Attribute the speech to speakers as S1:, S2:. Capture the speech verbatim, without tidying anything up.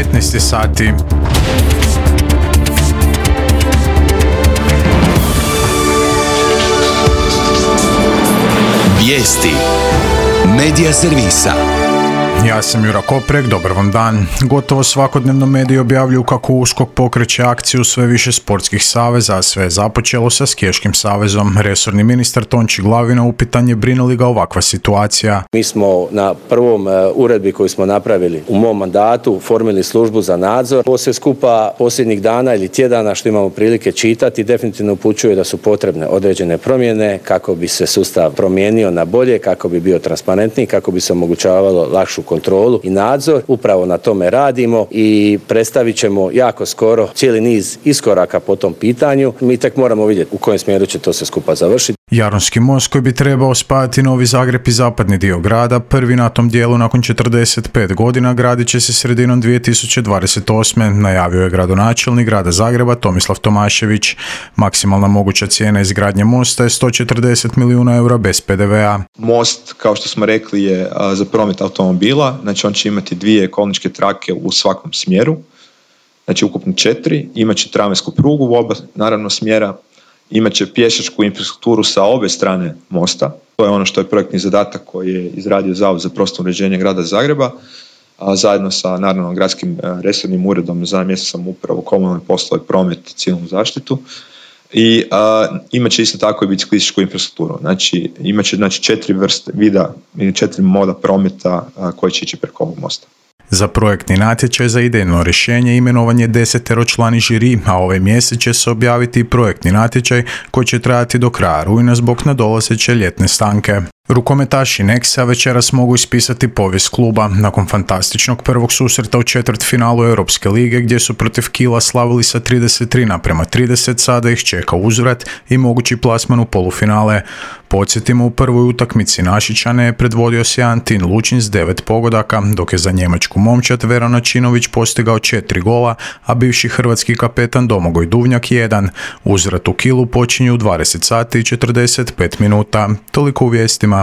S1: devetnaest sati.
S2: Vijesti Medija servisa.
S1: Ja sam Jura Koprek, dobar vam dan. Gotovo svakodnevno mediji objavljuju kako USKOK pokreće akciju sve više sportskih saveza, a sve je započelo sa Skiješkim savezom. Resorni ministar Tonči Glavina upitan je brine li ga ovakva situacija.
S3: Mi smo na prvom uredbi koju smo napravili u mom mandatu formili službu za nadzor. Ovo sve skupa posljednjih dana ili tjedana što imamo prilike čitati definitivno upućuje da su potrebne određene promjene kako bi se sustav promijenio na bolje, kako bi bio transparentniji, kako bi se omogućavalo lakšu kontrolu i nadzor. Upravo na tome radimo i predstavit ćemo jako skoro cijeli niz iskoraka po tom pitanju. Mi tek moramo vidjeti u kojem smjeru će to sve skupa završiti.
S1: Jaronski most koji bi trebao spajati Novi Zagreb i zapadni dio grada, prvi na tom dijelu nakon četrdeset pet godina, gradit će se sredinom dvije tisuće dvadeset osme. Najavio je gradonačelnik grada Zagreba Tomislav Tomašević. Maksimalna moguća cijena izgradnje mosta je sto četrdeset milijuna eura bez pe de ve a.
S4: Most, kao što smo rekli, je a, za promet automobila, znači on će imati dvije kolničke trake u svakom smjeru, znači ukupno četiri, imat će tramvajsku prugu u oba naravno smjera, imat će pješačku infrastrukturu sa obe strane mosta. To je ono što je projektni zadatak koji je izradio Zavod za prostorno uređenje grada Zagreba, a zajedno sa naravno gradskim resornim uredom za mjesnu samoupravu, komunalne poslove, promet i civilnu zaštitu. I a, imat će isto tako i biciklističku infrastrukturu. Znači imat će znači, četiri vrste vida ili četiri moda prometa a, koji će ići preko ovog mosta.
S1: Za projektni natječaj za idejno rješenje imenovan je deseteročlani žiri, a ovaj mjesec će se objaviti i projektni natječaj koji će trajati do kraja rujna zbog nadolazeće ljetne stanke. Rukometaši Nexa večeras mogu ispisati povijest kluba. Nakon fantastičnog prvog susreta u četvrtfinalu Europske lige gdje su protiv Kiela slavili sa trideset tri naprema trideset, sada ih čeka uzvrat i mogući plasman u polufinale. Podsjetimo, u prvoj utakmici Našičane je predvodio sjajan Tin Lučin s devet pogodaka, dok je za njemačku momčad Veron Ačinović postigao četiri gola, a bivši hrvatski kapetan Domagoj Duvnjak jedan. Uzvrat u Kielu počinju u dvadeset sati i četrdeset pet minuta. Toliko u vijestima.